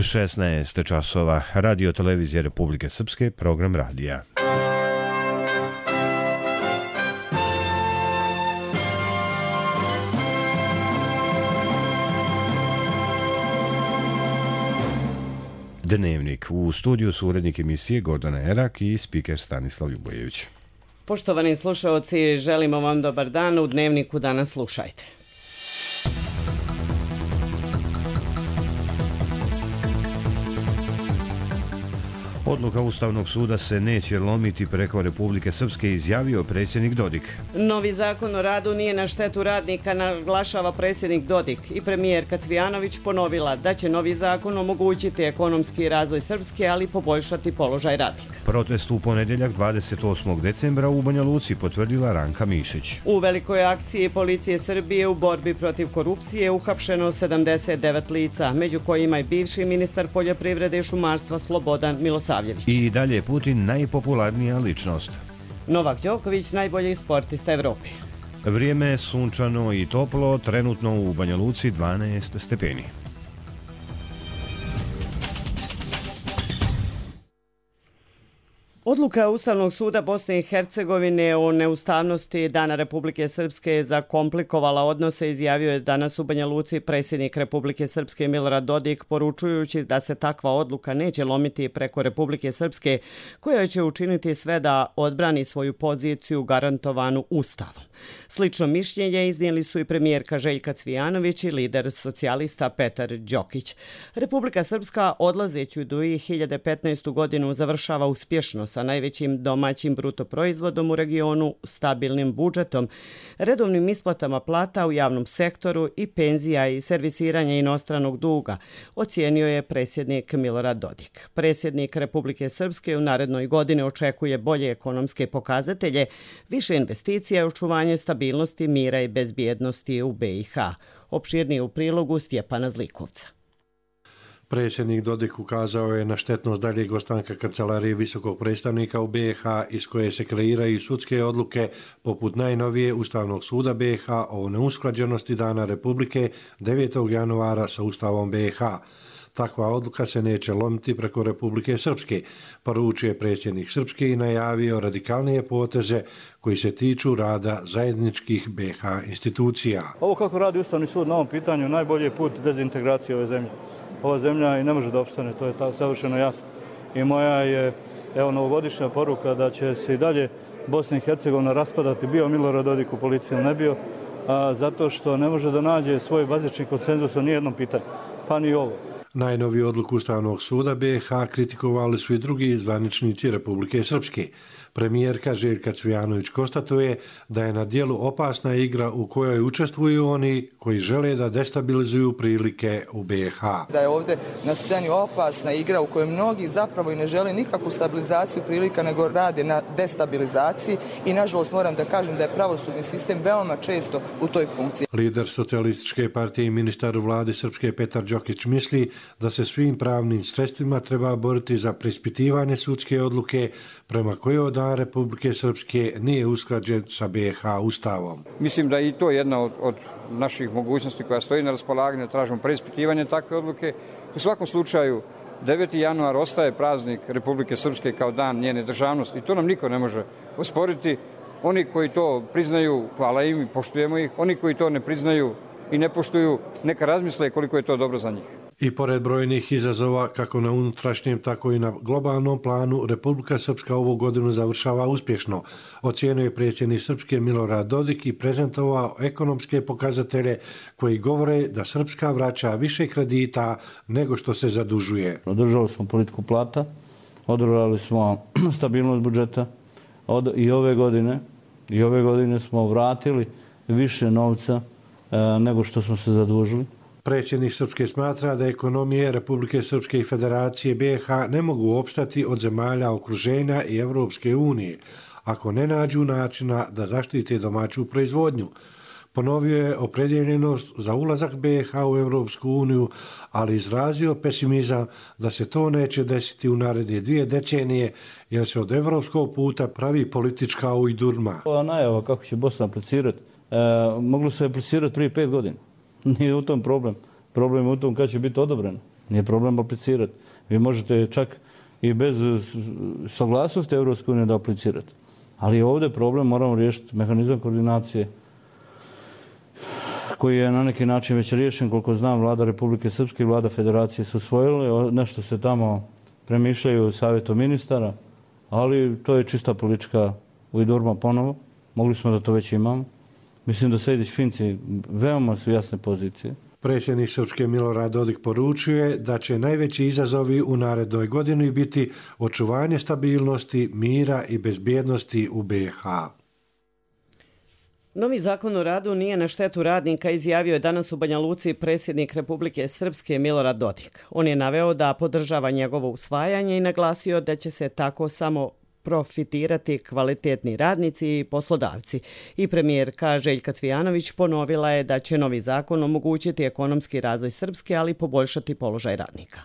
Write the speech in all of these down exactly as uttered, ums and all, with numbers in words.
šesnaest časova, Radio televizija Republike Srpske, program radija. Dnevnik. U studiju su urednik emisije Gordana Erak i spiker Stanislav Ljubojević. Poštovani slušaoci, želimo vam dobar dan. U Dnevniku danas slušajte. Odluka Ustavnog suda se neće lomiti preko Republike Srpske, izjavio predsjednik Dodik. Novi zakon o radu nije na štetu radnika, naglašava predsjednik Dodik, i premijerka Cvijanović ponovila da će novi zakon omogućiti ekonomski razvoj Srpske, ali poboljšati položaj radnika. Protest u ponedjeljak dvadeset osmog decembra u Banja Luci, potvrdila Ranka Mišić. U velikoj akciji policije Srbije u borbi protiv korupcije uhapšeno sedamdeset devet lica, među kojima i bivši ministar poljoprivrede i šumarstva Slobodan Milosavljević. I dalje Putin najpopularnija ličnost. Novak Đoković najbolji sportista Evrope. Vrijeme je sunčano i toplo, trenutno u Banja Luci dvanaest stepeni. Odluka Ustavnog suda Bosne i Hercegovine o neustavnosti Dana Republike Srpske je zakomplikovala odnose, izjavio je danas u Banja Luci predsjednik Republike Srpske Milorad Dodik, poručujući da se takva odluka neće lomiti preko Republike Srpske, koja će učiniti sve da odbrani svoju poziciju garantovanu Ustavom. Slično mišljenje iznijeli su i premijerka Željka Cvijanović i lider socijalista Petar Đokić. Republika Srpska odlazeću dvije hiljade petnaestu godinu završava uspješno sa najvećim domaćim bruto proizvodom u regionu, stabilnim budžetom, redovnim isplatama plata u javnom sektoru i penzija i servisiranje inostranog duga, ocijenio je predsjednik Milorad Dodik. Predsjednik Republike Srpske u narednoj godini očekuje bolje ekonomske pokazatelje, više investicija i očuvanje stabilnosti, mira i bezbjednosti u be i ha. Opširnije u prilogu Stjepana Zlikovca. Predsjednik Dodik ukazao je na štetnost daljeg ostanka kancelarije visokog predstavnika u be i ha, iz koje se kreiraju sudske odluke poput najnovije Ustavnog suda be i ha o neusklađenosti Dana Republike devetog januara sa Ustavom be i ha. Takva odluka se neće lomiti preko Republike Srpske, poručio je predsjednik Srpske i najavio radikalnije poteze koji se tiču rada zajedničkih be i ha institucija. Ovo kako radi Ustavni sud na ovom pitanju najbolji je put dezintegracije ove zemlje. Ova zemlja i ne može da opstane, to je ta, savršeno jasno. I moja je evo novogodišnja poruka da će se i dalje Bosna i Hercegovina raspadati, bio Milorad Dodik u policiji ili ne bio, a, zato što ne može da nađe svoj bazični konsenzus o nijednom pitanju, pa ni ovo. Najnoviju odluku Ustavnog suda be i ha kritikovali su i drugi zvaničnici Republike Srpske. Premijerka Željka Cvijanović konstatuje da je na dijelu opasna igra u kojoj učestvuju oni koji žele da destabilizuju prilike u be i ha. Da je ovdje na sceni opasna igra u kojoj mnogi zapravo i ne žele nikakvu stabilizaciju prilika, nego rade na destabilizaciji i nažalost moram da kažem da je pravosudni sistem veoma često u toj funkciji. Lider socijalističke partije i ministar u vladi Srpske Petar Đokić misli da se svim pravnim sredstvima treba boriti za preispitivanje sudske odluke prema kojoj Dan Republike Srpske nije usklađen sa be i ha Ustavom. Mislim da je i to jedna od, od naših mogućnosti koja stoji na raspolaganju, tražimo preispitivanje takve odluke. U svakom slučaju, deveti januar ostaje praznik Republike Srpske kao dan njene državnosti i to nam niko ne može osporiti. Oni koji to priznaju, hvala im i poštujemo ih. Oni koji to ne priznaju i ne poštuju, neka razmisle koliko je to dobro za njih. I pored brojnih izazova, kako na unutrašnjem, tako i na globalnom planu, Republika Srpska ovu godinu završava uspješno. Ocijenio je predsjednik Srpske Milorad Dodik i prezentovao ekonomske pokazatelje koji govore da Srpska vraća više kredita nego što se zadužuje. Održali smo politiku plata, održali smo stabilnost budžeta od, i ove godine i ove godine smo vratili više novca e, nego što smo se zadužili. Predsjednik Srpske smatra da ekonomije Republike Srpske i Federacije be i ha ne mogu opstati od zemalja okruženja i Evropske unije ako ne nađu načina da zaštite domaću proizvodnju. Ponovio je opredjeljenost za ulazak be i ha u Evropsku uniju, ali izrazio pesimizam da se to neće desiti u naredne dvije decenije jer se od evropskog puta pravi politička ujdurma. Ova najava kako će Bosna aplicirati, e, moglo se aplicirati prije pet godina. Nije u tom problem. Problem je u tom kad će biti odobreno. Nije problem aplicirati. Vi možete čak i bez saglasnosti Evropske unije da aplicirate. Ali ovdje problem moramo riješiti mehanizam koordinacije koji je na neki način već riješen, koliko znam, vlada Republike Srpske i vlada Federacije su usvojile. Nešto se tamo premišljaju u savjetu ministara, ali to je čista politička ujdurma ponovo. Mogli smo da to već imamo. Mislim da Sejdić-Finci veoma su jasne pozicije. Predsjednik Srpske Milorad Dodik poručuje da će najveći izazovi u narednoj godini biti očuvanje stabilnosti, mira i bezbjednosti u B i H. Novi zakon o radu nije na štetu radnika, izjavio je danas u Banja Luci predsjednik Republike Srpske Milorad Dodik. On je naveo da podržava njegovo usvajanje i naglasio da će se tako samo profitirati kvalitetni radnici i poslodavci. I premijerka Željka Cvijanović ponovila je da će novi zakon omogućiti ekonomski razvoj Srpske, ali poboljšati položaj radnika.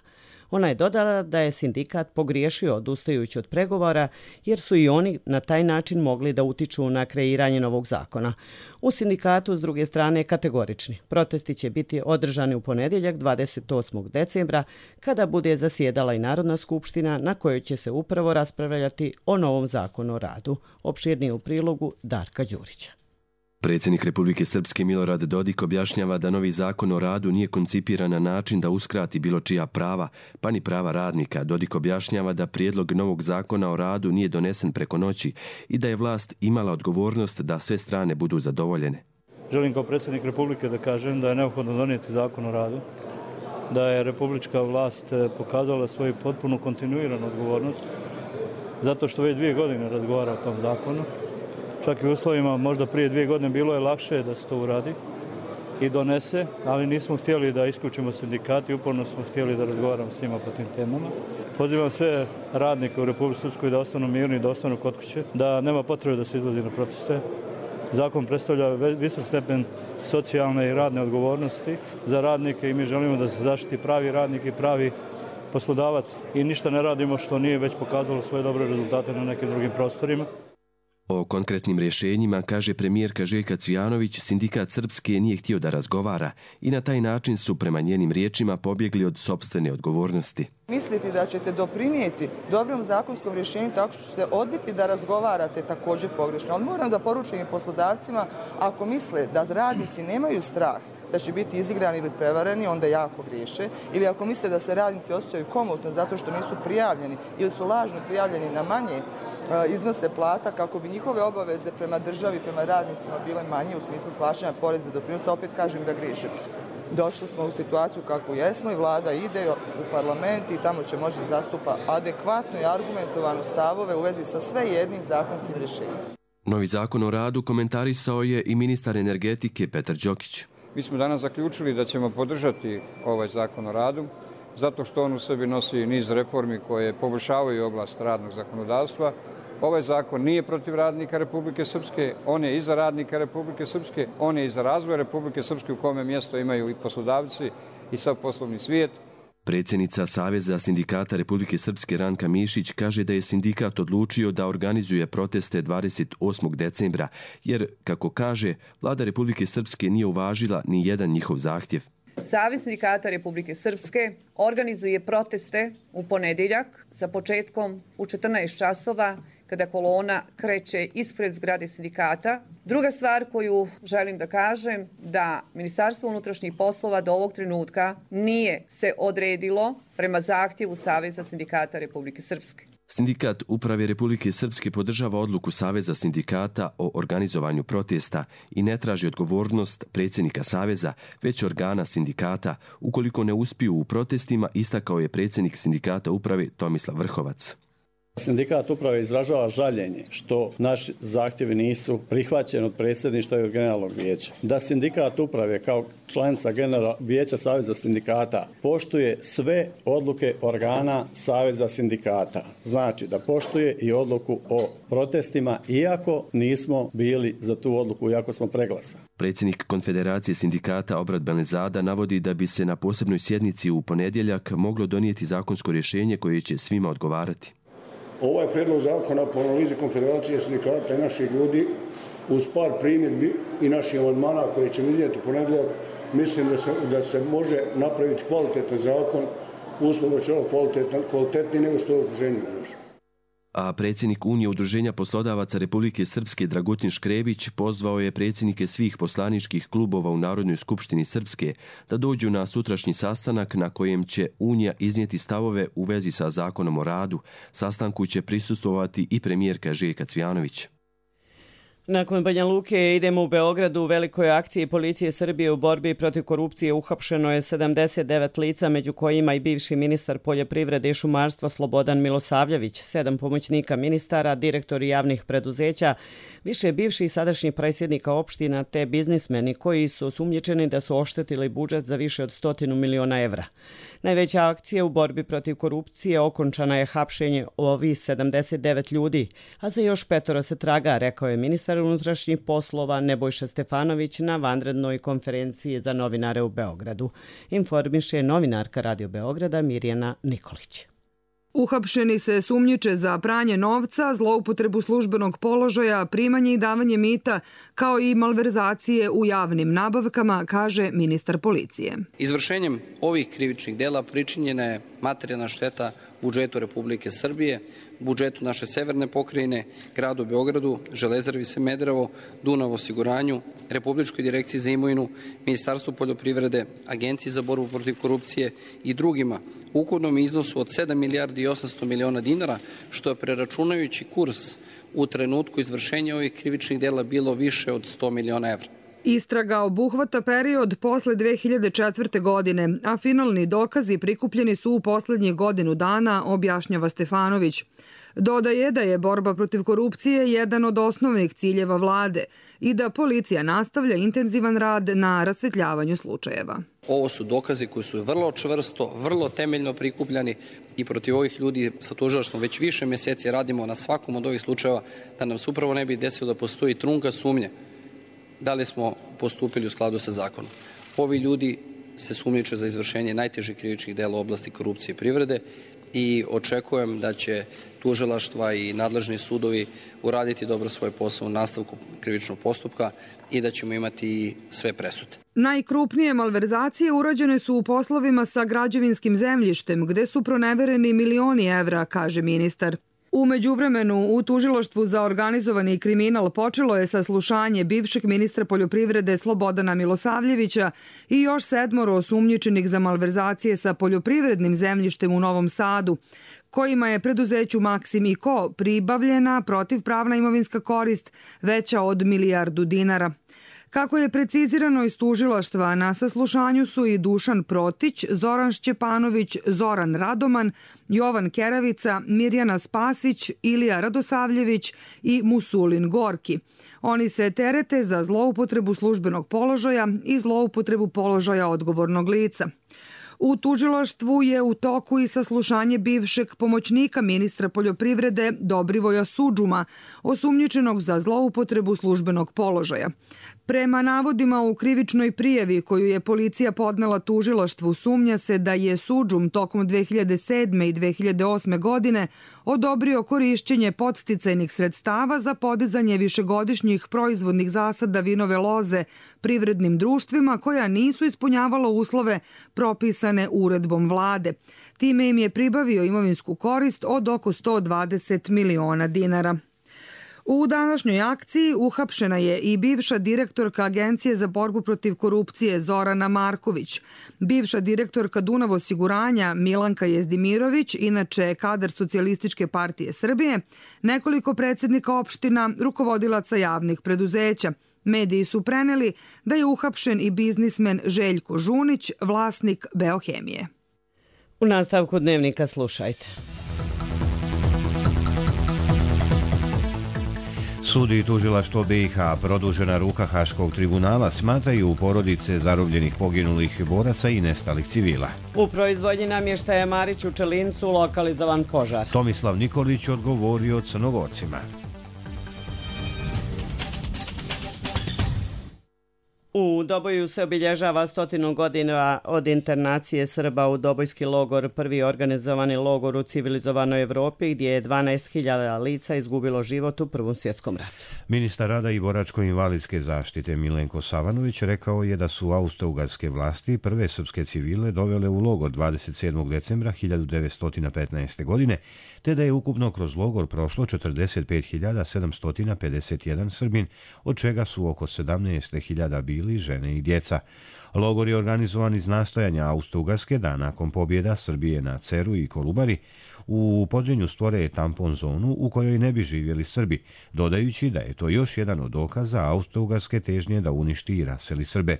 Ona je dodala da je sindikat pogriješio odustajući od pregovora jer su i oni na taj način mogli da utiču na kreiranje novog zakona. U sindikatu s druge strane kategorični. Protesti će biti održani u ponedjeljak dvadeset osmog decembra kada bude zasjedala i Narodna skupština na kojoj će se upravo raspravljati o novom zakonu o radu. Opširnije u prilogu Darka Đurića. Predsjednik Republike Srpske Milorad Dodik objašnjava da novi zakon o radu nije koncipiran na način da uskrati bilo čija prava, pa ni prava radnika. Dodik objašnjava da prijedlog novog zakona o radu nije donesen preko noći i da je vlast imala odgovornost da sve strane budu zadovoljene. Želim kao predsjednik Republike da kažem da je neophodno donijeti zakon o radu, da je republička vlast pokazala svoju potpunu kontinuiranu odgovornost, zato što već dvije godine razgovara o tom zakonu. Čak i u uslovima, možda prije dvije godine bilo je lakše da se to uradi i donese, ali nismo htjeli da isključimo sindikati, uporno smo htjeli da razgovaramo s njima po tim temama. Pozivam sve radnike u Republici Srpskoj da ostanu mirni, da ostanu kod kuće, da nema potrebe da se izlazi na proteste. Zakon predstavlja visok stepen socijalne i radne odgovornosti za radnike i mi želimo da se zaštiti pravi radnik i pravi poslodavac i ništa ne radimo što nije već pokazalo svoje dobre rezultate na nekim drugim prostorima. O konkretnim rješenjima, kaže premijerka Željka Cvijanović, sindikat Srpske nije htio da razgovara i na taj način su prema njenim riječima pobjegli od sopstvene odgovornosti. Misliti da ćete doprinijeti dobrom zakonskom rješenju tako što ćete odbiti da razgovarate također pogrešno. Ali moram da poručim i poslodavcima, ako misle da radnici nemaju strah da će biti izigrani ili prevareni, onda jako griješe. Ili ako misle da se radnici osjećaju komotno zato što nisu prijavljeni ili su lažno prijavljeni na manje iznose plata kako bi njihove obaveze prema državi, prema radnicima bile manje u smislu plaćanja poreza i doprinosa, opet kažem da griješe. Došli smo u situaciju kakvu jesmo i vlada ide u parlament i tamo će moći da zastupa adekvatno i argumentovano stavove u vezi sa sve jednim zakonskim rješenjem. Novi zakon o radu komentarisao je i ministar energetike Petar Đokić. Mi smo danas zaključili da ćemo podržati ovaj zakon o radu, zato što on u sebi nosi niz reformi koje poboljšavaju oblast radnog zakonodavstva. Ovaj zakon nije protiv radnika Republike Srpske, on je i za radnika Republike Srpske, on je i za razvoj Republike Srpske u kome mjesto imaju i poslodavci i sav poslovni svijet. Predsjednica Saveza sindikata Republike Srpske Ranka Mišić kaže da je sindikat odlučio da organizuje proteste dvadeset osmog decembra, jer, kako kaže, vlada Republike Srpske nije uvažila ni jedan njihov zahtjev. Savez sindikata Republike Srpske organizuje proteste u ponedjeljak sa početkom u četrnaest časova kada kolona kreće ispred zgrade sindikata. Druga stvar koju želim da kažem da Ministarstvo unutrašnjih poslova do ovog trenutka nije se odredilo prema zahtjevu Saveza sindikata Republike Srpske. Sindikat Uprave Republike Srpske podržava odluku Saveza sindikata o organizovanju protesta i ne traži odgovornost predsjednika Saveza, već organa sindikata, ukoliko ne uspiju u protestima, istakao je predsjednik sindikata Uprave Tomislav Vrhovac. Sindikat Uprave izražava žaljenje što naši zahtjevi nisu prihvaćeni od predsjedništva i od generalnog vijeća. Da Sindikat Uprave kao članica generalnog vijeća Saveza sindikata poštuje sve odluke organa Saveza sindikata. Znači da poštuje i odluku o protestima, iako nismo bili za tu odluku, iako smo preglasani. Predsjednik Konfederacije sindikata Obrat Belezada navodi da bi se na posebnoj sjednici u ponedjeljak moglo donijeti zakonsko rješenje koje će svima odgovarati. Ovaj predlog zakona po analizi Konfederacije sindikata i naših ljudi uz par primjedbi i naših amandmana koje ćemo iznijeti u ponedjeljak, mislim da se, da se može napraviti kvalitetan zakon uslovi će ovo kvalitetni nego što je u okruženju. A predsjednik Unije udruženja poslodavaca Republike Srpske Dragutin Škrebić pozvao je predsjednike svih poslaničkih klubova u Narodnoj skupštini Srpske da dođu na sutrašnji sastanak na kojem će Unija iznijeti stavove u vezi sa zakonom o radu. Sastanku će prisustvovati i premijerka Željka Cvijanović. Nakon Banja Luke idemo u Beogradu. U velikoj akciji policije Srbije u borbi protiv korupcije uhapšeno je sedamdeset devet lica, među kojima i bivši ministar poljoprivrede i šumarstva Slobodan Milosavljević, sedam pomoćnika ministara, direktori javnih preduzeća, više bivših i sadašnjih predsjednika opština te biznismeni koji su osumnjičeni da su oštetili budžet za više od stotinu miliona evra. Najveća akcija u borbi protiv korupcije okončana je hapšenje ovih sedamdeset devet ljudi, a za još petoro se traga, rekao je ministar unutrašnjih poslova Nebojša Stefanović na vanrednoj konferenciji za novinare u Beogradu. Informiše novinarka Radio Beograda Mirjana Nikolić. Uhapšeni se sumnjiče za pranje novca, zloupotrebu službenog položaja, primanje i davanje mita, kao i malverzacije u javnim nabavkama, kaže ministar policije. Izvršenjem ovih krivičnih dela pričinjena je materijalna šteta budžetu Republike Srbije, budžetu naše severne pokrajine, gradu Beogradu, Železari Smederevo, Dunav osiguranju, Republičkoj direkciji za imovinu, Ministarstvu poljoprivrede, Agenciji za borbu protiv korupcije i drugima u ukupnom iznosu od sedam milijardi i osamsto miliona dinara, što je preračunajući kurs u trenutku izvršenja ovih krivičnih dela bilo više od sto miliona evra. Istraga obuhvata period posle dve hiljade četvrte. godine, a finalni dokazi prikupljeni su u poslednjih godinu dana, objašnjava Stefanović. Dodaje da je borba protiv korupcije jedan od osnovnih ciljeva vlade i da policija nastavlja intenzivan rad na rasvetljavanju slučajeva. Ovo su dokazi koji su vrlo čvrsto, vrlo temeljno prikupljani i protiv ovih ljudi sa tužilaštvom već više mjeseci radimo na svakom od ovih slučajeva da nam se upravo ne bi desilo da postoji trunka sumnje da li smo postupili u skladu sa zakonom. Ovi ljudi se sumnjiče za izvršenje najtežih krivičnih dela u oblasti korupcije i privrede i očekujem da će tužilaštva i nadležni sudovi uraditi dobro svoj posao u nastavku krivičnog postupka i da ćemo imati sve presude. Najkrupnije malverzacije urađene su u poslovima sa građevinskim zemljištem, gde su pronevereni milioni evra, kaže ministar. U međuvremenu u tužilaštvu za organizovani kriminal počelo je saslušanje bivšeg ministra poljoprivrede Slobodana Milosavljevića i još sedmoro osumnjičenih za malverzacije sa poljoprivrednim zemljištem u Novom Sadu, kojima je preduzeću Maksim i Ko pribavljena protivpravna imovinska korist veća od milijardu dinara. Kako je precizirano iz tužilaštva, na saslušanju su i Dušan Protić, Zoran Šćepanović, Zoran Radoman, Jovan Keravica, Mirjana Spasić, Ilija Radosavljević i Musulin Gorki. Oni se terete za zloupotrebu službenog položaja i zloupotrebu položaja odgovornog lica. U tužilaštvu je u toku i saslušanje bivšeg pomoćnika ministra poljoprivrede Dobrivoja Sudžuma, osumnjičenog za zloupotrebu službenog položaja. Prema navodima u krivičnoj prijavi koju je policija podnela tužilaštvu, sumnja se da je Sudžum tokom dve hiljade sedme. i dve hiljade osme. godine odobrio korišćenje podsticajnih sredstava za podizanje višegodišnjih proizvodnih zasada vinove loze privrednim društvima koja nisu ispunjavala uslove propisane uredbom vlade. Time im je pribavio imovinsku korist od oko sto dvadeset miliona dinara. U današnjoj akciji uhapšena je i bivša direktorka Agencije za borbu protiv korupcije Zorana Marković, bivša direktorka Dunav osiguranja Milanka Jezdimirović, inače kadar Socijalističke partije Srbije, nekoliko predsjednika opština, rukovodilaca javnih preduzeća. Mediji su preneli da je uhapšen i biznismen Željko Žunić, vlasnik Beohemije. U nastavku dnevnika slušajte. Sud i tužilaštvo B i H, produžena ruka Haškog tribunala, smatraju porodice zarobljenih poginulih boraca i nestalih civila. U proizvodnji namještaja Marić u Čelincu lokalizovan požar. Tomislav Nikolić odgovorio Crnogorcima. U Doboju se obilježava stotinu godina od internacije Srba u Dobojski logor, prvi organizovani logor u civilizovanoj Evropi gdje je dvanaest hiljada lica izgubilo život u Prvom svjetskom ratu. Ministar rada i boračko-invalidske zaštite Milenko Savanović rekao je da su austrougarske vlasti prve srpske civile dovele u logor dvadeset sedmog decembra hiljadu devetsto petnaeste. godine, te da je ukupno kroz logor prošlo četrdeset pet hiljada sedamsto pedeset jedan Srbin, od čega su oko sedamnaest hiljada bili žene i djeca. Logor je organizovan iz nastojanja Austro-Ugarske da nakon pobjeda Srbije na Ceru i Kolubari u Podrinju stvore tampon zonu u kojoj ne bi živjeli Srbi, dodajući da je to još jedan od dokaza Austro-Ugarske težnje da uništi i raseli Srbe.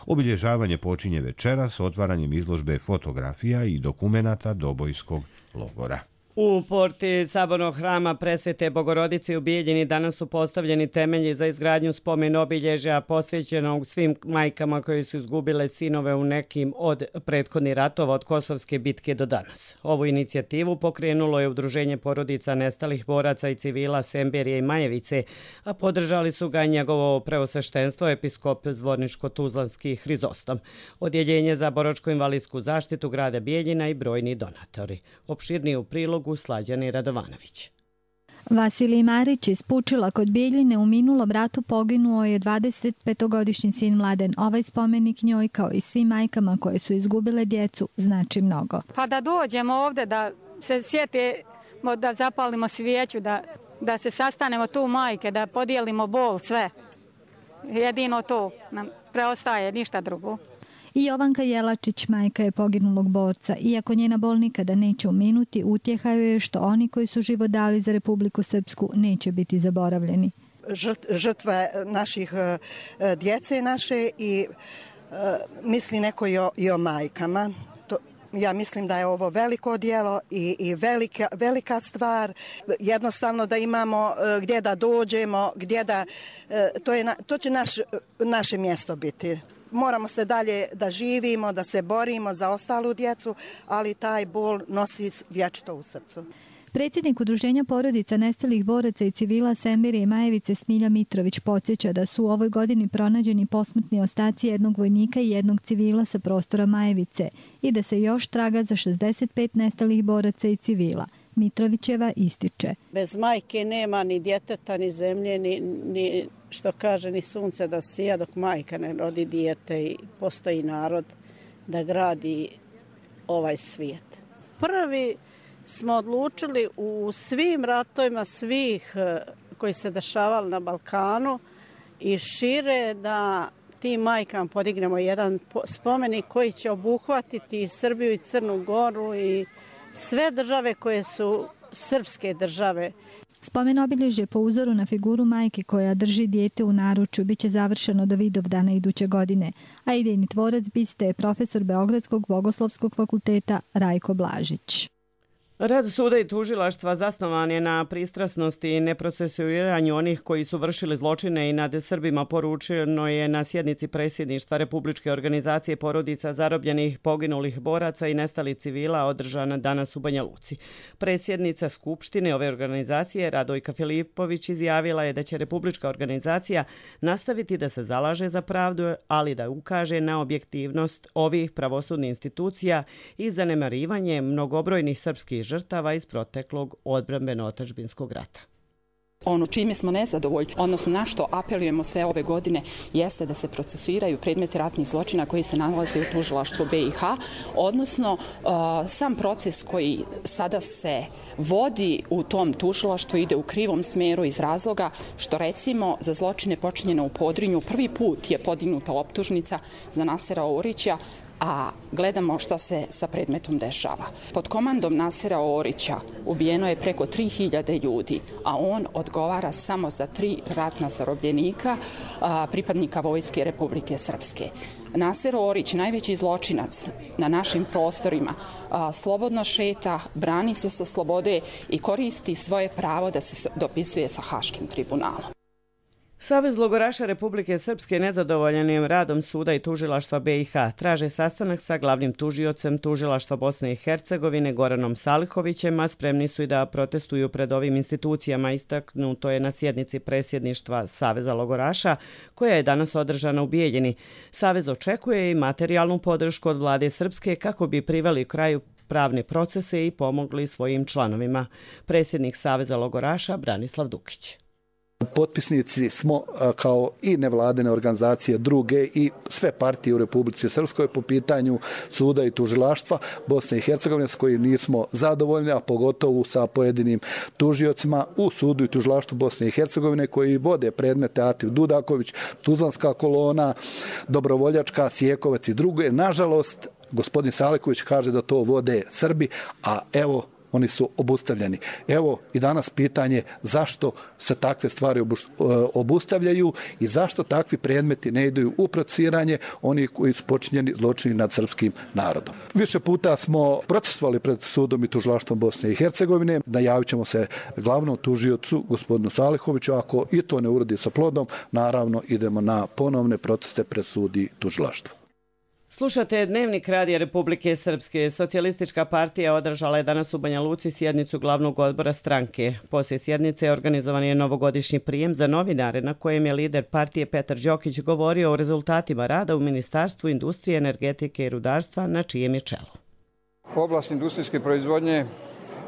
Obilježavanje počinje večeras s otvaranjem izložbe fotografija i dokumenata Dobojskog logora. U porti Sabornog hrama Presvete Bogorodice u Bijeljini danas su postavljeni temelji za izgradnju spomen obilježja posvećenog svim majkama koje su izgubile sinove u nekim od prethodnih ratova od Kosovske bitke do danas. Ovu inicijativu pokrenulo je Udruženje porodica nestalih boraca i civila Semberije i Majevice, a podržali su ga njegovo preosveštenstvo episkop Zvorničko-Tuzlanski Hrizostom, Odjeljenje za boračko-invalidsku zaštitu grada Bijeljina i brojni donatori. Opširniji u prilogu Slađani Radovanović. Vasilij Marić iz Pučila kod Bijeljine u minulom ratu poginuo je dvadesetpetogodišnji sin Mladen. Ovaj spomenik njoj kao i svim majkama koje su izgubile djecu znači mnogo. Pa da dođemo ovdje, da se sjetimo, da zapalimo svijeću, da, da se sastanemo tu majke, da podijelimo bol, sve. Jedino to nam preostaje, ništa drugo. I Jovanka Jelačić, majka je poginulog borca. Iako njena bol nikada neće uminuti, utjeha joj je što oni koji su život dali za Republiku Srpsku neće biti zaboravljeni. Žrtva naših djece naše i misli neko i o, i o majkama. To, ja mislim da je ovo veliko djelo i, i velika, velika stvar. Jednostavno da imamo gdje da dođemo, gdje da, to, je, to će naš, naše mjesto biti. Moramo se dalje da živimo, da se borimo za ostalu djecu, ali taj bol nosi vječito u srcu. Predsjednik Udruženja porodica nestalih boraca i civila Semberije i Majevice Smilja Mitrović podsjeća da su u ovoj godini pronađeni posmrtni ostaci jednog vojnika i jednog civila sa prostora Majevice i da se još traga za šezdeset pet nestalih boraca i civila. Mitrovićeva ističe. Bez majke nema ni djeteta, ni zemlje, ni, ni što kaže ni sunce da sija dok majka ne rodi dijete i postoji narod da gradi ovaj svijet. Prvi smo odlučili u svim ratovima svih koji se dešavali na Balkanu i šire da tim majkama podignemo jedan spomenik koji će obuhvatiti i Srbiju i Crnu Goru i sve države koje su srpske države. Spomen obilježje po uzoru na figuru majke koja drži dijete u naručju biće završeno do Vidovdana iduće godine, a idejni tvorac biste je profesor Beogradskog bogoslovskog fakulteta Rajko Blažić. Rad suda i tužilaštva zasnovan je na pristrasnosti i neprocesuiranju onih koji su vršili zločine i nad Srbima, poručeno je na sjednici predsjedništva Republičke organizacije porodica zarobljenih, poginulih boraca i nestalih civila održana danas u Banja Luci. Predsjednica Skupštine ove organizacije Radojka Filipović izjavila je da će Republička organizacija nastaviti da se zalaže za pravdu, ali da ukaže na objektivnost ovih pravosudnih institucija i zanemarivanje mnogobrojnih srpskih žrtava iz proteklog odbrambeno-otadžbinskog rata. Ono čime smo nezadovoljni, odnosno na što apelujemo sve ove godine, jeste da se procesuiraju predmeti ratnih zločina koji se nalaze u tužilaštvu B i H, odnosno uh, sam proces koji sada se vodi u tom tužilaštvu ide u krivom smeru iz razloga što recimo za zločine počinjene u Podrinju prvi put je podignuta optužnica za Nasera Orića, a gledamo šta se sa predmetom dešava. Pod komandom Nasera Orića ubijeno je preko tri hiljade ljudi, a on odgovara samo za tri ratna zarobljenika, pripadnika Vojske Republike Srpske. Naser Orić, najveći zločinac na našim prostorima, slobodno šeta, brani se sa slobode i koristi svoje pravo da se dopisuje sa Haškim tribunalom. Savez logoraša Republike Srpske nezadovoljan je radom suda i tužilaštva B i H. Traže sastanak sa glavnim tužiocem tužilaštva Bosne i Hercegovine Goranom Salihovićem, a spremni su i da protestuju pred ovim institucijama. Istaknuto je na sjednici predsjedništva Saveza logoraša, koja je danas održana u Bijeljini. Savez očekuje i materijalnu podršku od vlade Srpske kako bi priveli kraju pravne procese i pomogli svojim članovima. Predsjednik Saveza logoraša Branislav Dukić. Potpisnici smo kao i nevladine organizacije druge i sve partije u Republici Srpskoj po pitanju suda i tužilaštva Bosne i Hercegovine s kojim nismo zadovoljni, a pogotovo sa pojedinim tužiocima u sudu i tužilaštvu Bosne i Hercegovine koji vode predmete Ativ Dudaković, Tuzlanska kolona, Dobrovoljačka, Sjekovac i druge. Nažalost, gospodin Saliković kaže da to vode Srbi, a evo oni su obustavljeni. Evo i danas pitanje zašto se takve stvari obustavljaju i zašto takvi predmeti ne idu u procesiranje oni koji su počinjeni zločini nad srpskim narodom. Više puta smo procesovali pred sudom i tužilaštvom Bosne i Hercegovine. Najavit ćemo se glavnom tužiocu, gospodinu Salihoviću. Ako i to ne urodi sa plodom, naravno idemo na ponovne proteste pred sud i tužilaštvo. Slušate Dnevnik Radija Republike Srpske. Socijalistička partija održala je danas u Banja Luci sjednicu glavnog odbora stranke. Poslije sjednice organizovan je novogodišnji prijem za novinare na kojem je lider partije Petar Đokić govorio o rezultatima rada u Ministarstvu industrije, energetike i rudarstva na čijem je čelu. Oblast industrijske proizvodnje,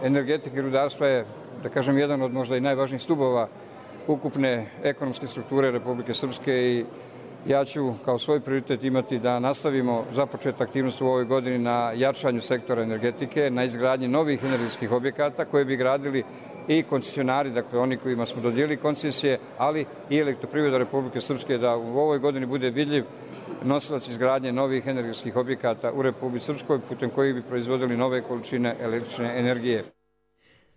energetike i rudarstva je, da kažem, jedan od možda i najvažnijih stubova ukupne ekonomske strukture Republike Srpske i ja ću kao svoj prioritet imati da nastavimo započet aktivnost u ovoj godini na jačanju sektora energetike, na izgradnji novih energetskih objekata koje bi gradili i koncesionari, dakle oni kojima smo dodijelili koncesije, ali i Elektroprivreda Republike Srpske, da u ovoj godini bude vidljiv nosilac izgradnje novih energetskih objekata u Republici Srpskoj putem kojih bi proizvodili nove količine električne energije.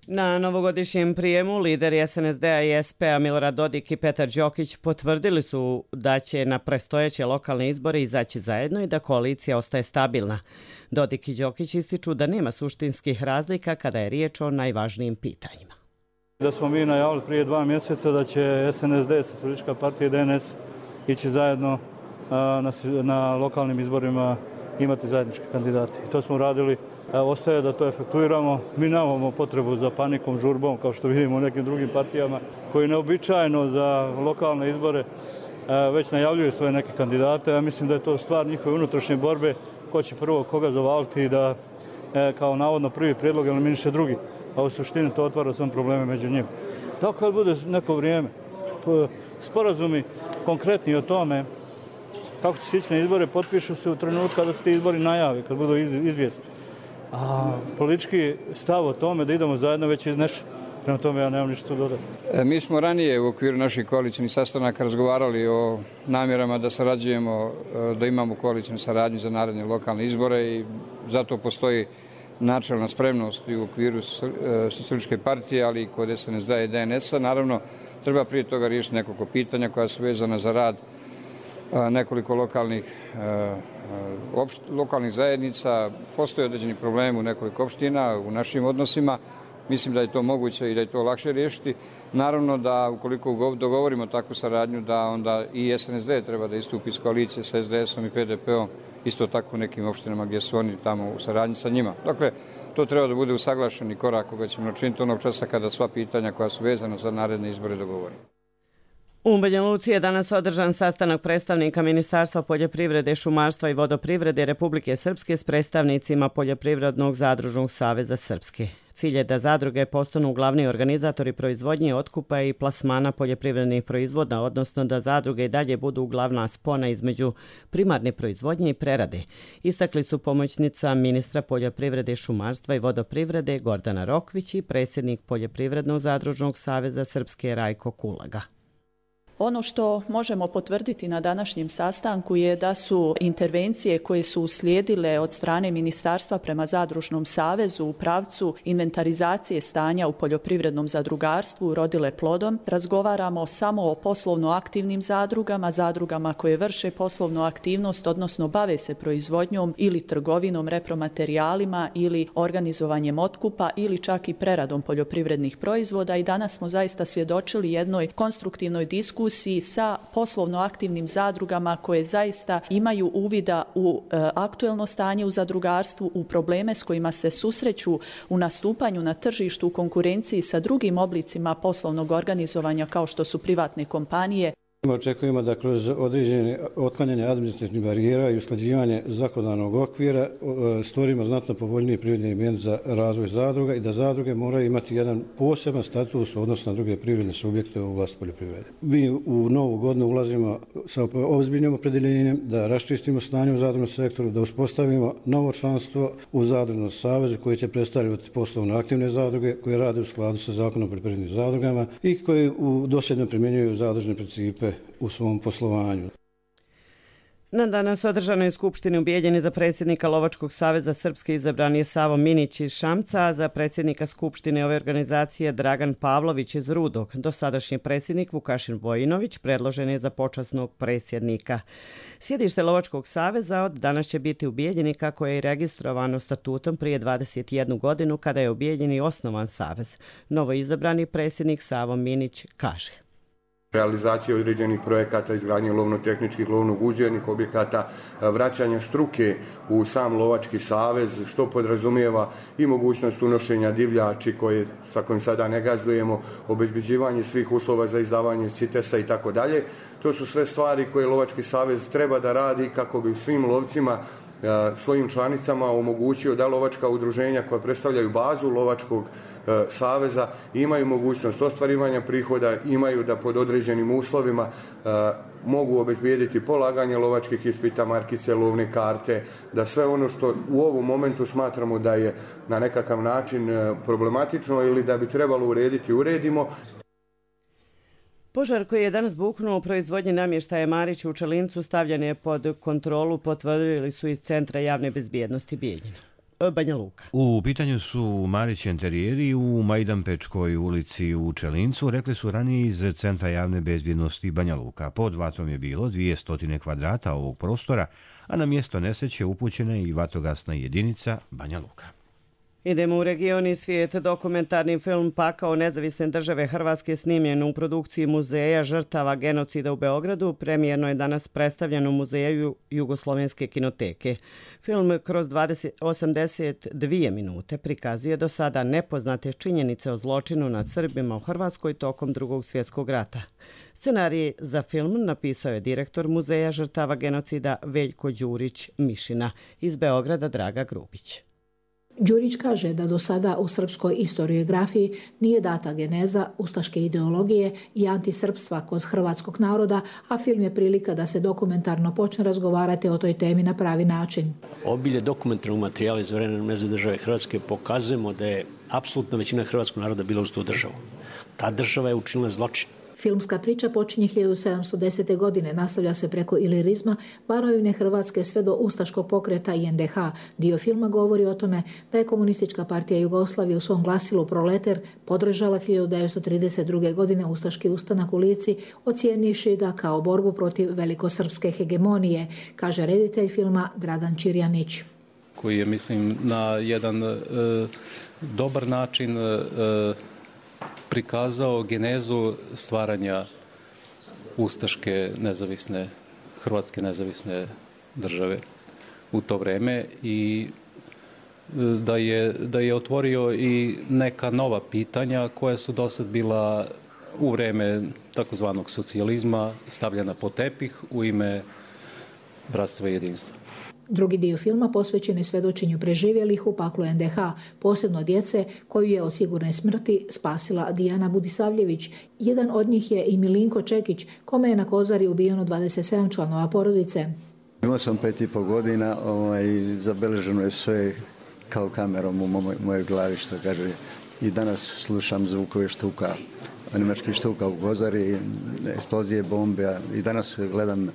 Na novogodišnjem prijemu lideri es en es de a i es pe a Milorad Dodik i Petar Đokić potvrdili su da će na predstojeće lokalne izbore izaći zajedno i da koalicija ostaje stabilna. Dodik i Đokić ističu da nema suštinskih razlika kada je riječ o najvažnijim pitanjima. Da smo mi najavili prije dva mjeseca da će es en es de, Socijalistička partija i de en es ići zajedno na, na lokalnim izborima imati zajedničke kandidate. I to smo radili. Ostaje da to efektuiramo. Mi nemamo potrebu za panikom, žurbom, kao što vidimo u nekim drugim partijama, koji neobičajno za lokalne izbore već najavljuju svoje neke kandidate. Ja mislim da je to stvar njihove unutrašnje borbe, ko će prvo koga zavaliti i da kao navodno prvi prijedlog eliminiše drugi. A u suštini to otvara sam probleme među njima. Da kad bude neko vrijeme, sporazumi konkretni o tome kako će se ići na izbore, potpišu se u trenutku kada se ti izbori najave, kad budu izvijesti. A politički stav o tome da idemo zajedno već iznešen. Prema tome ja nemam ništa dodati. Mi smo ranije u okviru naših koalicijnih sastanaka razgovarali o namjerama da sarađujemo, da imamo koalicijnu saradnju za naredne lokalne izbore i zato postoji načelna spremnost i u okviru Socijalističke partije, ali i kod es en es de a i de en es a. Naravno, treba prije toga riješiti nekoliko pitanja koja su vezana za rad nekoliko lokalnih, opšt, lokalnih zajednica. Postoje određeni problemi u nekoliko opština, u našim odnosima. Mislim da je to moguće i da je to lakše riješiti. Naravno da ukoliko dogovorimo takvu saradnju, da onda i es en es de treba da istupi iz koalicije sa es de esom i pe de peom, isto tako u nekim opštinama gdje su oni tamo u saradnji sa njima. Dakle, to treba da bude usaglašeni korak koga ćemo načiniti onog časa kada sva pitanja koja su vezana za naredne izbore dogovorimo. U Banja Luci je danas održan sastanak predstavnika Ministarstva poljoprivrede, šumarstva i vodoprivrede Republike Srpske s predstavnicima Poljoprivrednog zadružnog saveza Srpske. Cilj je da zadruge postanu glavni organizatori proizvodnje, otkupa i plasmana poljoprivrednih proizvoda, odnosno da zadruge i dalje budu glavna spona između primarne proizvodnje i prerade. Istakli su pomoćnica ministra poljoprivrede, šumarstva i vodoprivrede Gordana Rokvić i predsjednik Poljoprivrednog zadružnog saveza Srpske Rajko Kulaga. Ono što možemo potvrditi na današnjem sastanku je da su intervencije koje su uslijedile od strane Ministarstva prema Zadružnom savezu u pravcu inventarizacije stanja u poljoprivrednom zadrugarstvu urodile plodom. Razgovaramo samo o poslovno aktivnim zadrugama, zadrugama koje vrše poslovnu aktivnost, odnosno bave se proizvodnjom ili trgovinom repromaterijalima ili organizovanjem otkupa ili čak i preradom poljoprivrednih proizvoda i danas smo zaista svjedočili jednoj konstruktivnoj diskusiji diskusiji sa poslovno aktivnim zadrugama koje zaista imaju uvida u e, aktuelno stanje u zadrugarstvu, u probleme s kojima se susreću u nastupanju na tržištu u konkurenciji sa drugim oblicima poslovnog organizovanja kao što su privatne kompanije. Očekujemo da kroz određene otklanjanje administrativnih barijera i usklađivanje zakonodavnog okvira stvorimo znatno povoljniji privredni ambijent za razvoj zadruga i da zadruge moraju imati jedan poseban status u odnosu na druge privredne subjekte u oblasti poljoprivrede. Mi u novu godinu ulazimo sa ozbiljnim opredjeljenjem da raščistimo stanje u zadružnom sektoru, da uspostavimo novo članstvo u zadružnom savezu koje će predstavljati poslovno aktivne zadruge koje rade u skladu sa zakonom o poljoprivrednim zadrugama i koje u dosljedno primjenjuju zadružne principe u svom poslovanju. Na danas održanoj skupštini u Bijeljini za predsjednika Lovačkog saveza Srpske izabran je Savo Minić iz Šamca, a za predsjednika skupštine ove organizacije Dragan Pavlović iz Rudog. Dosadašnji predsjednik Vukašin Vojinović predložen je za počasnog predsjednika. Sjedište Lovačkog saveza od danas će biti u Bijeljini kako je i registrovano statutom prije dvadeset jednu godinu kada je u Bijeljini osnovan savez. Novo izabrani predsjednik Savo Minić kaže: realizacije određenih projekata, izgradnje lovno-tehničkih, lovno-uzgojnih objekata, vraćanja struke u sam Lovački savez, što podrazumijeva i mogućnost unošenja divljači koje, sa kojim sada ne gazdujemo, obezbeđivanje svih uslova za izdavanje sitesa i tako dalje. To su sve stvari koje Lovački savez treba da radi kako bi svim lovcima, svojim članicama omogućio da lovačka udruženja koja predstavljaju bazu Lovačkog saveza imaju mogućnost ostvarivanja prihoda, imaju da pod određenim uslovima mogu obezbijediti polaganje lovačkih ispita, markice, lovne karte, da sve ono što u ovom momentu smatramo da je na nekakav način problematično ili da bi trebalo urediti, uredimo. Požar koji je danas buknuo u proizvodnji namještaja Marić u Čelincu stavljen je pod kontrolu, potvrdili su iz Centra javne bezbjednosti Bijeljina. Banja Luka. U pitanju su Marić enterijeri u Majdanpečkoj ulici u Čelincu, rekli su ranije iz Centra javne bezbjednosti Banja Luka. Pod vatrom je bilo dvjesto kvadrata ovog prostora, a na mjesto nesreće upućena i vatrogasna jedinica Banja Luka. Idemo u region i svijet. Dokumentarni film Pakao nezavisne države Hrvatske snimljen u produkciji Muzeja žrtava genocida u Beogradu premijerno je danas predstavljen u Muzeju Jugoslovenske kinoteke. Film kroz osamdeset dvije minute prikazuje do sada nepoznate činjenice o zločinu nad Srbima u Hrvatskoj tokom Drugog svjetskog rata. Scenarij za film napisao je direktor Muzeja žrtava genocida Veljko Đurić Mišina, iz Beograda Draga Grubić. Đurić kaže da do sada u srpskoj historiografiji nije data geneza ustaške ideologije i antisrpstva kod hrvatskog naroda, a film je prilika da se dokumentarno počne razgovarati o toj temi na pravi način. Obilje dokumentarnog materijala iz vremena nezavisne države Hrvatske pokazujemo da je apsolutna većina hrvatskog naroda bila uz tu državu. Ta država je učinila zločin. Filmska priča počinje hiljadu sedamsto desete. godine, nastavlja se preko ilirizma, Banovine Hrvatske sve do ustaškog pokreta i en de ha. Dio filma govori o tome da je Komunistička partija Jugoslavije u svom glasilu Proleter podržala hiljadu devetsto trideset druge. godine ustaški ustanak u Lici, ocijenivši ga kao borbu protiv velikosrpske hegemonije, kaže reditelj filma Dragan Čirjanić. Koji je, mislim, na jedan e, dobar način e, prikazao genezu stvaranja ustaške nezavisne, Hrvatske nezavisne države u to vreme i da je, da je otvorio i neka nova pitanja koja su dosad bila u vreme takozvanog socijalizma stavljena pod tepih u ime bratstva i jedinstva. Drugi dio filma posvećen je svedočenju preživjelih u paklu en de ha, posebno djece koju je od sigurne smrti spasila Dijana Budisavljević. Jedan od njih je i Milinko Čekić, kome je na Kozari ubijeno dvadeset sedam članova porodice. Imao sam pet i pol godina, ovaj, zabeleženo je sve kao kamerom u moj, mojoj glavi, što kaže. I danas slušam zvukove štuka, nemačkih štuka u Kozari, eksplozije bombe, i danas gledam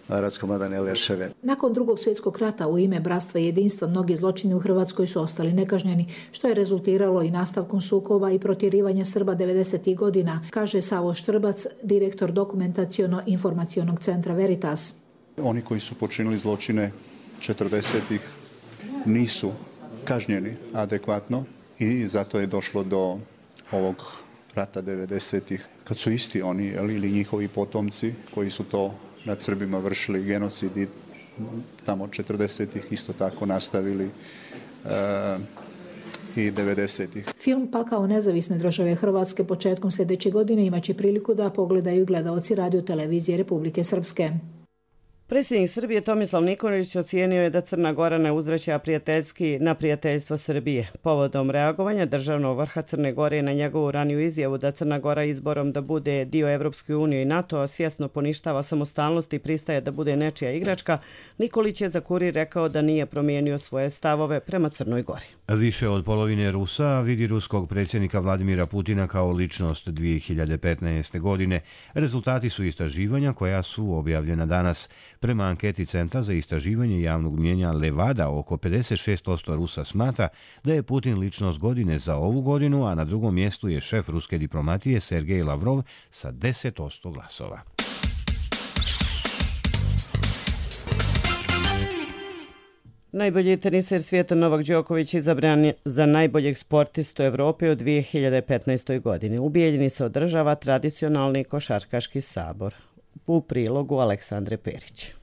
raskomadane leševe. Nakon Drugog svjetskog rata u ime bratstva i jedinstva mnogi zločini u Hrvatskoj su ostali nekažnjeni, što je rezultiralo i nastavkom sukoba i protjerivanja Srba devedesetih godina, kaže Savo Štrbac, direktor dokumentaciono-informacionog centra Veritas. Oni koji su počinili zločine četrdesetih nisu kažnjeni adekvatno i zato je došlo do ovog rata devedesetih, kad su isti oni ili njihovi potomci koji su to nad Srbima vršili genocid i tamo četrdesetih isto tako nastavili uh, i devedesetih. Film Pakao nezavisne države Hrvatske početkom sljedeće godine imaće priliku da pogledaju gledaoci radio televizije Republike Srpske. Predsjednik Srbije Tomislav Nikolić ocijenio je da Crna Gora ne uzvraća prijateljski na prijateljstvo Srbije. Povodom reagovanja državnog vrha Crne Gore na njegovu raniju izjavu da Crna Gora izborom da bude dio Evropske unije i NATO svjesno poništava samostalnost i pristaje da bude nečija igračka, Nikolić je za Kurir rekao da nije promijenio svoje stavove prema Crnoj Gori. Više od polovine Rusa vidi ruskog predsjednika Vladimira Putina kao ličnost dvije hiljade petnaeste. godine. Rezultati su istraživanja koja su objavljena danas. Prema anketi Centra za istraživanje javnog mnijenja Levada, oko pedeset šest posto Rusa smatra da je Putin ličnost godine za ovu godinu, a na drugom mjestu je šef ruske diplomatije Sergej Lavrov sa deset posto glasova. Najbolji teniser svijeta Novak Đoković izabran za najboljeg sportistu Evrope u dvije hiljade petnaestoj. godini. U Bijeljini se održava tradicionalni košarkaški sabor. U prilogu Aleksandre Perić.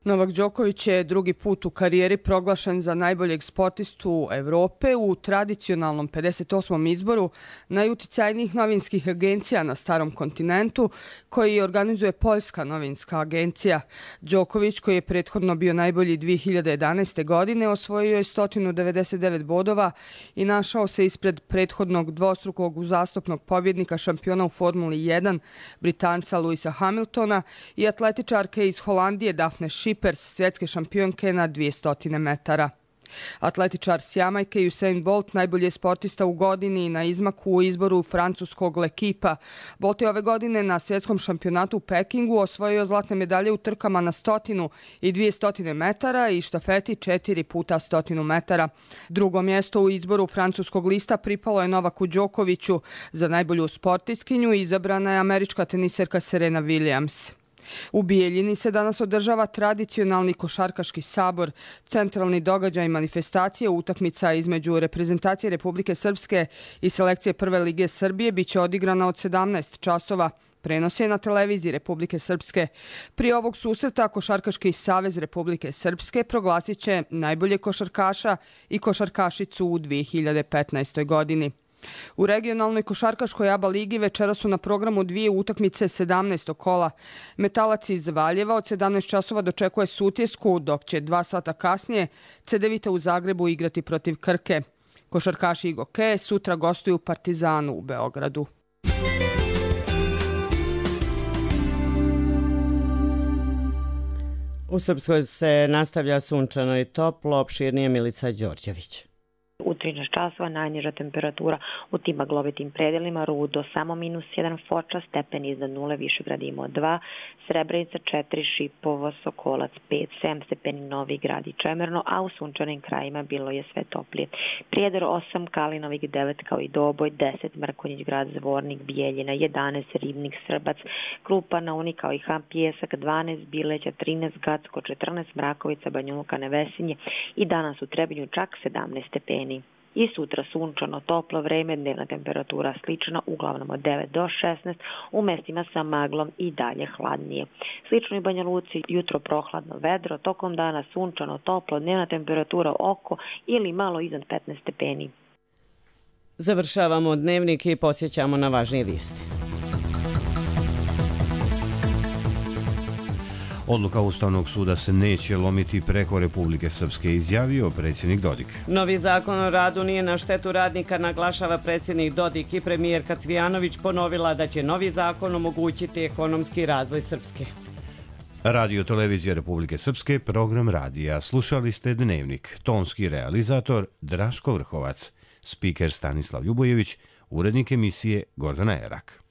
Novak Đoković je drugi put u karijeri proglašen za najboljeg sportistu Evrope u tradicionalnom pedeset osmom izboru najuticajnijih novinskih agencija na starom kontinentu koji organizuje Poljska novinska agencija. Đoković, koji je prethodno bio najbolji dvije hiljade jedanaeste. godine, osvojio je sto devedeset devet bodova i našao se ispred prethodnog dvostrukog uzastopnog pobjednika šampiona u Formuli jedan, Britanca Lewisa Hamiltona i atletičarke iz Holandije Daphne Schippers, svjetske šampionke na dvjesto metara. Atletičar s Jamajke Usain Bolt najbolji je sportista u godini na izmaku u izboru francuskog L'Equipa. Bolt je ove godine na svjetskom šampionatu u Pekingu osvojio zlatne medalje u trkama na stotinu i dvjesto metara i štafeti četiri puta stotinu metara. Drugo mjesto u izboru francuskog lista pripalo je Novaku Đokoviću. Za najbolju sportistkinju izabrana je američka teniserka Serena Williams. U Bijeljini se danas održava tradicionalni košarkaški sabor, centralni događaj manifestacije, utakmica između reprezentacije Republike Srpske i selekcije Prve lige Srbije biće odigrana od sedamnaest časova. Prenos je na televiziji Republike Srpske. Prije ovog susreta Košarkaški savez Republike Srpske proglasit će najbolje košarkaša i košarkašicu u dvije hiljade petnaestoj. godini. U regionalnoj košarkaškoj A B A ligi večera su na programu dvije utakmice sedamnaestog kola. Metalac iz Valjeva od sedamnaest časova dočekuje Sutjesku, dok će dva sata kasnije Cedevita u Zagrebu igrati protiv Krke. Košarkaši Igoke sutra gostuju Partizanu u Beogradu. U Srpskoj se nastavlja sunčano i toplo, opširnije Milica Đorđević. U trinaest časova najniža temperatura u tim maglovitim predelima, Rudo samo minus jedan, Foča stepen iznad nule, Višegrad imao dva, Srebrenica četiri, Šipovo, Sokolac pet, sedam stepeni, Novi Grad i Čemerno, a u sunčanim krajima bilo je sve toplije. Prijedor osam, Kalinovik devet kao i Doboj, deset, Mrkonjić Grad, Zvornik, Bijeljina jedanaest, Ribnik, Srbac, Krupa, Naunik kao i Ham, Pjesak dvanaest, Bileća trinaest, Gacko četrnaest, Mrakovica, Banjuka, Nevesinje i danas u Trebinju čak sedamnaest stepeni. I sutra sunčano, toplo vreme, dnevna temperatura slična, uglavnom od devet do šesnaest, u mestima sa maglom i dalje hladnije. Slično i Banja Luci, jutro prohladno vedro, tokom dana sunčano, toplo, dnevna temperatura oko ili malo iznad petnaest stepeni. Završavamo dnevnik i podsjećamo na važnije vijesti. Odluka Ustavnog suda se neće lomiti preko Republike Srpske, izjavio predsjednik Dodik. Novi zakon o radu nije na štetu radnika, naglašava predsjednik Dodik i premijerka Cvijanović ponovila da će novi zakon omogućiti ekonomski razvoj Srpske. Radio Televizija Republike Srpske, program radija. Slušali ste Dnevnik. Tonski realizator Draško Vrhovac. Spiker Stanislav Ljubojević. Urednik emisije Gordana Erak.